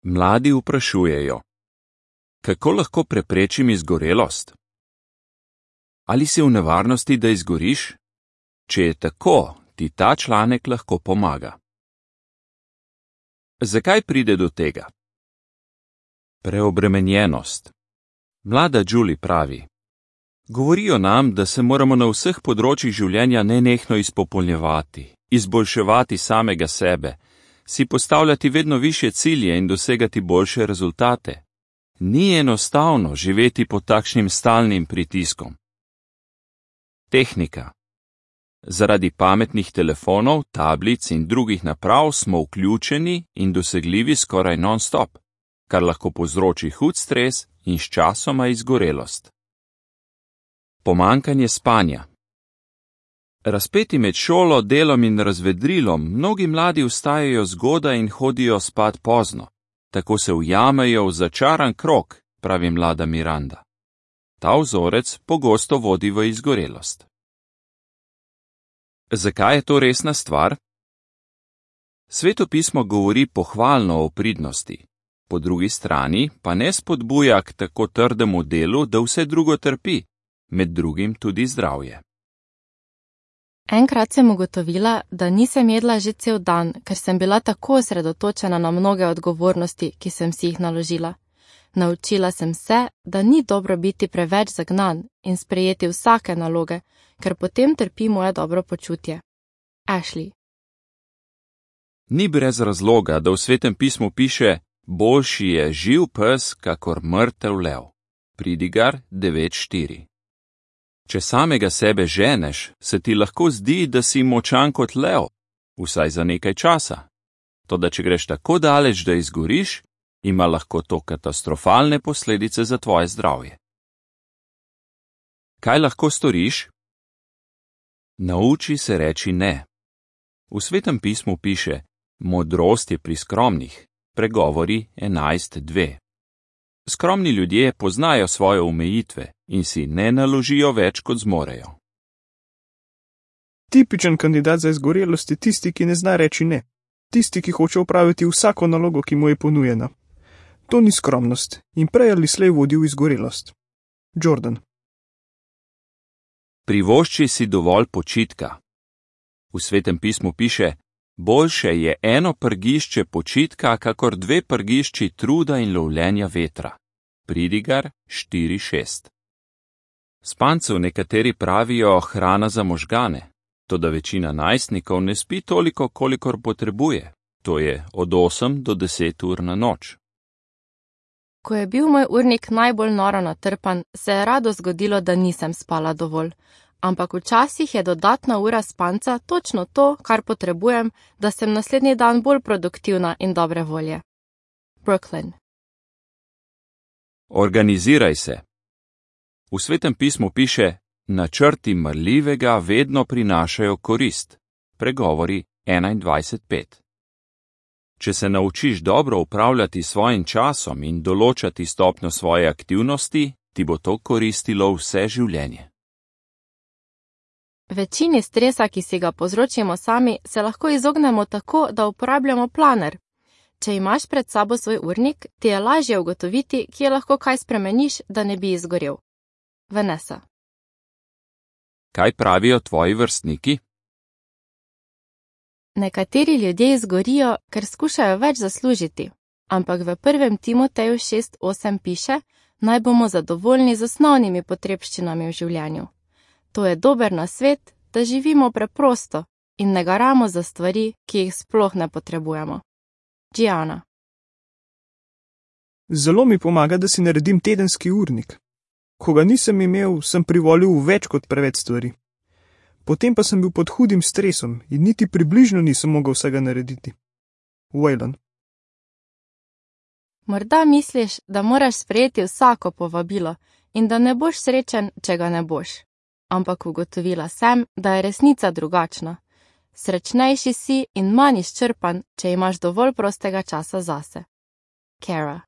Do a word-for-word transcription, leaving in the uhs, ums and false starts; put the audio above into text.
Mladi vprašujejo: kako lahko preprečim izgorelost? Ali si v nevarnosti, da izgoriš? Če je tako, ti ta članek lahko pomaga. Zakaj pride do tega? Preobremenjenost. Mlada Julie pravi: govorijo nam, da se moramo na vseh področjih življenja nenehno izpopolnjevati, izboljševati samega sebe, si postavljati vedno višje cilje in dosegati boljše rezultate. Ni enostavno živeti pod takšnim stalnim pritiskom. Tehnika. Zaradi pametnih telefonov, tablic in drugih naprav smo vključeni in dosegljivi skoraj non-stop, kar lahko povzroči hud stres in sčasoma izgorelost. Pomanjkanje spanja. Razpeti med šolo, delom in razvedrilom, mnogi mladi vstajajo zgodaj in hodijo spat pozno. Tako se ujamejo v začaran krog, pravi mlada Miranda. Ta vzorec pogosto vodi v izgorelost. Zakaj je to resna stvar? Sveto pismo govori pohvalno o pridnosti, po drugi strani pa ne spodbuja k tako trdemu delu, da vse drugo trpi, med drugim tudi zdravje. Enkrat sem ugotovila, da nisem jedla že cel dan, ker sem bila tako osredotočena na mnoge odgovornosti, ki sem si jih naložila. Naučila sem se, da ni dobro biti preveč zagnan in sprejeti vsake naloge, ker potem trpi moje dobro počutje. Ashley. Ni brez razloga, da v Svetem pismu piše: boljši je živ pes, kakor mrtev lev. Pridigar devet štiri. Če samega sebe ženeš, se ti lahko zdi, da si močan kot lev, vsaj za nekaj časa. Toda če greš tako daleč, da izgoriš, ima lahko to katastrofalne posledice za tvoje zdravje. Kaj lahko storiš? Nauči se reči ne. V Svetem pismu piše: modrost je pri skromnih, pregovori enajst dve. Skromni ljudje poznajo svoje omejitve in si ne naložijo več, kot zmorejo. Tipičen kandidat za izgorelost je tisti, ki ne zna reči ne. Tisti, ki hoče opraviti vsako nalogo, ki mu je ponujena. To ni skromnost in prej ali slej vodi v izgorelost. Jordan. Privošči si dovolj počitka. V Svetem pismu piše: boljše je eno prgišče počitka, kakor dve prgišči truda in lovljenja vetra. Pridigar štiri šest. Spancev nekateri pravijo hrana za možgane, toda večina najstnikov ne spi toliko, kolikor potrebuje, to je od osem do deset ur na noč. Ko je bil moj urnik najbolj noro natrpan, se je rado zgodilo, da nisem spala dovolj. Ampak včasih je dodatna ura spanca točno to, kar potrebujem, da sem naslednji dan bolj produktivna in dobre volje. Brooklyn. Organiziraj se. V Svetem pismu piše: načrti marljivega vedno prinašajo korist. Pregovori enaindvajset pet. Če se naučiš dobro upravljati svojim časom in določati stopnjo svoje aktivnosti, ti bo to koristilo vse življenje. Večini stresa, ki si ga povzročimo sami, se lahko izognemo tako, da uporabljamo planer. Če imaš pred sabo svoj urnik, ti je lažje ugotoviti, kje lahko kaj spremeniš, da ne bi izgorel. Vanessa. Kaj pravijo tvoji vrstniki? Nekateri ljudje izgorijo, ker skušajo več zaslužiti, ampak v prvem Timoteju šest osem piše: naj bomo zadovoljni z osnovnimi potrebščinami v življenju. To je dober nasvet, da živimo preprosto in ne garamo za stvari, ki jih sploh ne potrebujemo. Gianna. Zelo mi pomaga, da si naredim tedenski urnik. Ko ga nisem imel, sem privolil v več kot preveč stvari. Potem pa sem bil pod hudim stresom in niti približno nisem mogel vsega narediti. Waylon. Morda misliš, da moraš sprejeti vsako povabilo in da ne boš srečen, če ga ne boš. Ampak ugotovila sem, da je resnica drugačna. Srečnejši si in manj izčrpan, če imaš dovolj prostega časa zase. Kara.